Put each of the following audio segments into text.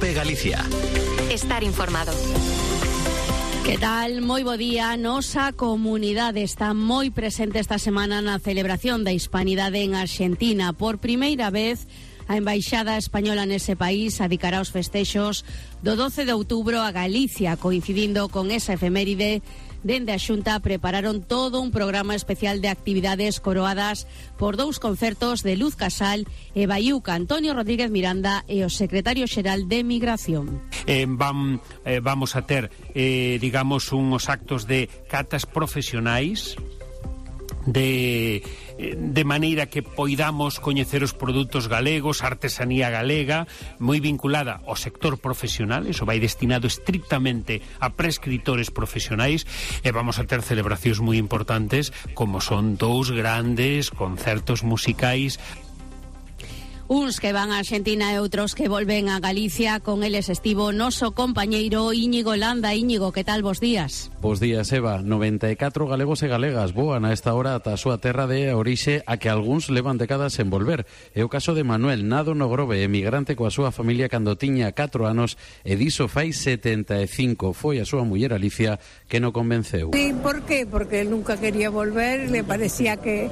COPE Galicia. Estar informado. Que tal? Moi bo día. Nosa comunidade está moi presente esta semana na celebración da Hispanidade en Arxentina. Por primeira vez, a Embaixada Española nese país adicará os festexos do 12 de outubro a Galicia, coincidindo con esa efeméride. Dende a Xunta prepararon todo un programa especial de actividades coroadas por dous concertos de Luz Casal e Baiuca, Antonio Rodríguez Miranda e o secretario xeral de Migración. Vamos a ter, digamos, uns actos de catas profesionais de maneira que poidamos coñecer os produtos galegos, a artesanía galega, moi vinculada ao sector profesional. Eso vai destinado estrictamente a prescritores profesionais, e vamos a ter celebracións moi importantes, como son dous grandes concertos musicais. Uns que van a Argentina e outros que volven a Galicia. Con eles estivo noso compañeiro Íñigo Landa. Íñigo, que tal, bos días? Bos días, Eva. 94 galegos e galegas voan a esta hora ata a súa terra de orixe, a que algúns levan décadas en volver. É o caso de Manuel, nado no Grove, emigrante coa súa familia cando tiña 4 anos, e diso fai 75. Foi a súa muller Alicia que no convenceu. Sí, ¿por qué? Porque él nunca quería volver, le parecía que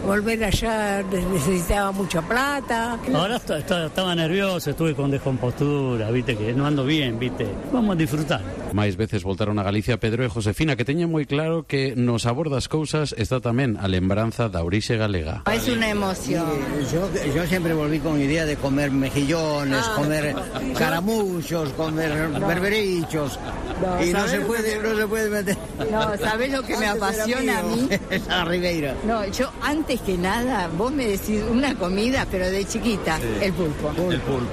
volver allá necesitaba mucha plata. Ahora estaba nervioso, estuve con descompostura, viste que no ando bien, viste. Vamos a disfrutar. Máis veces voltaron a Galicia Pedro e Josefina, que teñen moi claro que no sabor das cousas está tamén a lembranza da orixe galega. Es una emoción. Yo siempre volví con idea de comer mejillones, comer caramuchos, comer berberichos. No, y no se puede meter. No, ¿sabés lo que me apasiona a mí? A Ribeira. No, yo antes que nada, vos me decís una comida, pero de chiquita, sí. El pulpo.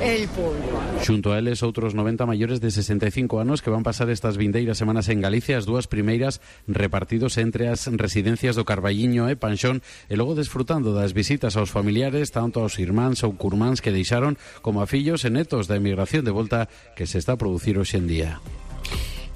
El pulpo. Xunto a eles, outros 90 maiores de 65 anos que van pasar estas vindeiras semanas en Galicia, as dúas primeiras repartidos entre as residencias do Carballiño e Panxón, e logo desfrutando das visitas aos familiares, tanto aos irmáns ou curmáns que deixaron, como a fillos e netos da emigración de volta que se está a producir hoxe en día.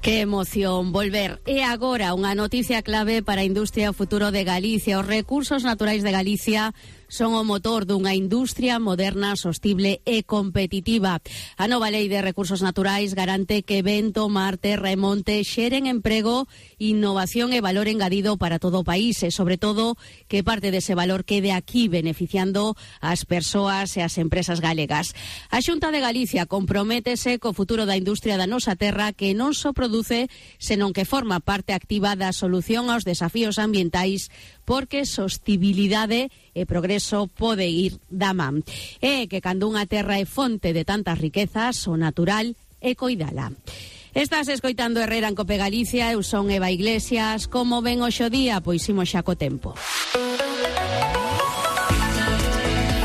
Que emoción volver. E agora unha noticia clave para a industria futuro de Galicia. Os recursos naturais de Galicia son o motor dunha industria moderna, sostible e competitiva. A nova Lei de Recursos Naturais garante que vento, mar, terra e monte xeren emprego, innovación e valor engadido para todo o país, e sobre todo que parte dese valor quede aquí beneficiando as persoas e as empresas galegas. A Xunta de Galicia comprométese co futuro da industria da nosa terra, que non só produce, senón que forma parte activa da solución aos desafíos ambientais, porque sostibilidade e progreso pode ir da man. E que cando unha terra é fonte de tantas riquezas, o natural é coidala. Estás escoitando Herrera en COPE Galicia, eu son Eva Iglesias. Como ven hoxe o día? Pois imos xa co tempo.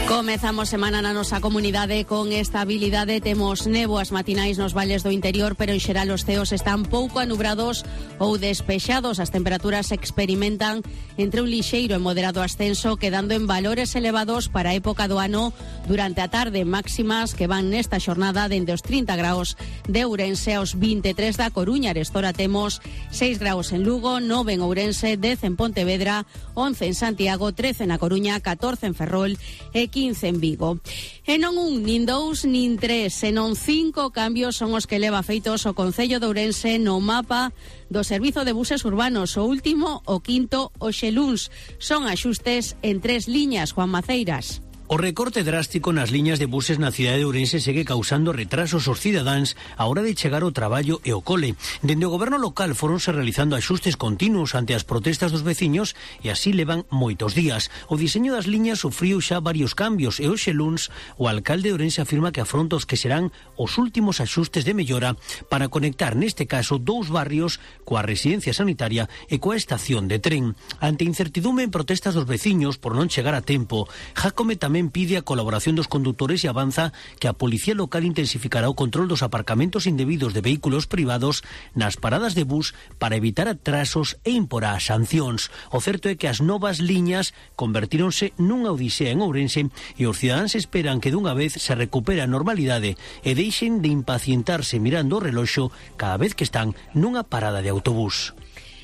Comezamos semana na nosa comunidade con estabilidade. Temos néboas matinais nos valles do interior, pero en xeral os ceos están pouco anubrados ou despexados. As temperaturas experimentan entre un lixeiro e moderado ascenso, quedando en valores elevados para a época do ano durante a tarde, máximas que van nesta xornada dende os 30 graus de Ourense aos 23 da Coruña. Arestora temos 6 graus en Lugo, 9 en Ourense, 10 en Pontevedra, 11 en Santiago, 13 na Coruña, 14 en Ferrol e 15 en Vigo. E non un, nin dous, nin tres, senón 5 cambios son os que leva feitos o Concello de Ourense no mapa do servizo de buses urbanos. O último, o quinto, hoxe luns. Son axustes en 3 liñas, Juan Maceiras. O recorte drástico nas liñas de buses na cidade de Ourense segue causando retrasos aos cidadáns a hora de chegar ao traballo e ao cole. Dende o goberno local foronse realizando axustes continuos ante as protestas dos veciños e así levan moitos días. O diseño das liñas sufriu xa varios cambios e hoxe luns o alcalde de Ourense afirma que afronta os que serán os últimos axustes de mellora para conectar neste caso 2 barrios coa residencia sanitaria e coa estación de tren. Ante incertidume en protestas dos veciños por non chegar a tempo, Jácome tamén pide a colaboración dos condutores e avanza que a Policía Local intensificará o control dos aparcamentos indebidos de vehículos privados nas paradas de bus para evitar atrasos e imporá sancións. O certo é que as novas liñas convertíronse nunha odisea en Ourense e os cidadáns esperan que dunha vez se recupere a normalidade e deixen de impacientarse mirando o reloxo cada vez que están nunha parada de autobús.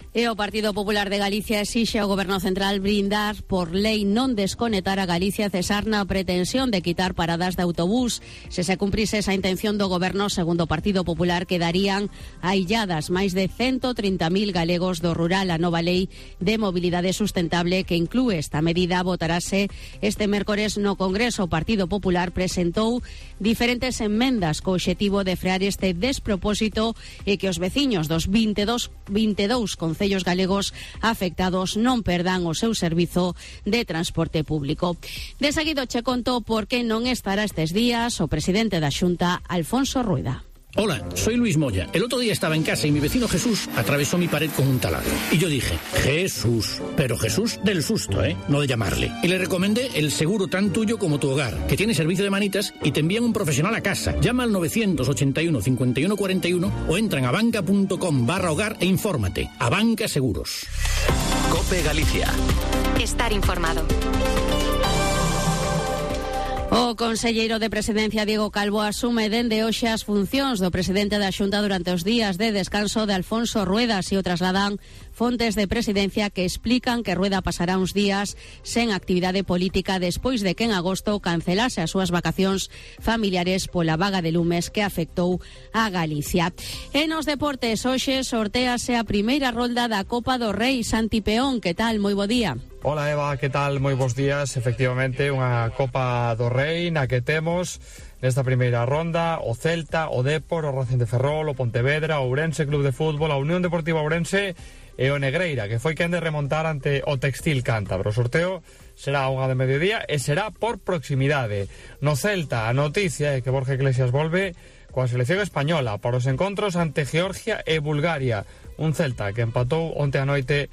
E o Partido Popular de Galicia exixe ao Goberno Central brindar por lei non desconectar a Galicia e cesar na pretensión de quitar paradas de autobús. Se se cumprise esa intención do Goberno, segundo o Partido Popular, quedarían ailladas máis de 130.000 galegos do rural. A nova lei de mobilidade sustentable que inclúe esta medida votarase este mércores no Congreso. O Partido Popular presentou diferentes enmendas co obxectivo de frear este despropósito e que os veciños dos 22 concellos galegos afectados non perdan o seu servizo de transporte público. De seguido che conto por que non estará estes días o presidente da Xunta, Alfonso Rueda. Hola, soy Luis Moya. El otro día estaba en casa y mi vecino Jesús atravesó mi pared con un taladro. Y yo dije, Jesús, pero Jesús del susto, no de llamarle. Y le recomendé el seguro tan tuyo como tu hogar, que tiene servicio de manitas y te envían un profesional a casa. Llama al 981 51 41 o entra en abanca.com/hogar e infórmate. Abanca Seguros. COPE Galicia. Estar informado. O conselleiro de Presidencia, Diego Calvo, asume dende hoxe as funcións do presidente da Xunta durante os días de descanso de Alfonso Rueda. Así o trasladan fontes de Presidencia que explican que Rueda pasará uns días sen actividade política despois de que en agosto cancelase as súas vacacións familiares pola vaga de lumes que afectou a Galicia. E nos deportes, hoxe sortease a primeira rolda da Copa do Rei. Santi Peón, que tal? Moi bo día. Hola Eva, que tal? Moi bons días. Efectivamente, unha Copa do Rei na que temos nesta primeira ronda o Celta, o Depor, o Racing de Ferrol, o Pontevedra, o Ourense Club de Fútbol, a Unión Deportiva Ourense e o Negreira, que foi quen de remontar ante o Textil Cántabro. O sorteo será a 1 de mediodía e será por proximidade. No Celta, a noticia é que Borja Iglesias volve coa selección española para os encontros ante Georgia e Bulgaria. Un Celta que empatou onte a noite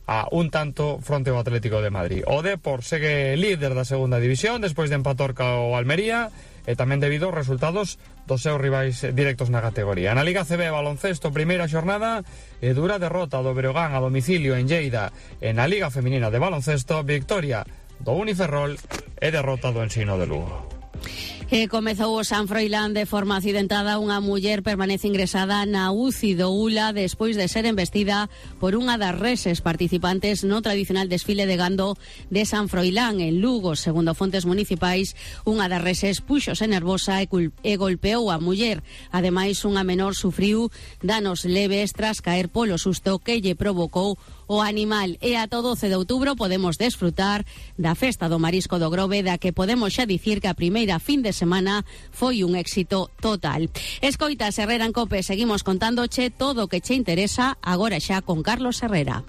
a un tanto fronte ao Atlético de Madrid. O Depor segue líder da segunda división despois de empatar co Almería e tamén debido aos resultados dos seus rivais directos na categoría. Na Liga CB baloncesto, primeira xornada e dura derrota do Breogán a domicilio en Lleida. E na Liga Feminina de baloncesto, victoria do Uniferrol e derrota do Ensino de Lugo. E comezou o San Froilán de forma accidentada. Unha muller permanece ingresada na UCI do ULA despois de ser embestida por unha das reses participantes no tradicional desfile de gando de San Froilán en Lugo. Segundo fontes municipais, unha das reses púxose nervosa e golpeou a muller. Ademais, unha menor sufriu danos leves tras caer polo susto que lle provocou o animal. E ata o 12 de outubro podemos desfrutar da festa do marisco do Grove, da que podemos xa dicir que a primeira fin de semana foi un éxito total. Escoitas Herrera en COPE, seguimos contándoche todo o que che interesa agora xa con Carlos Herrera.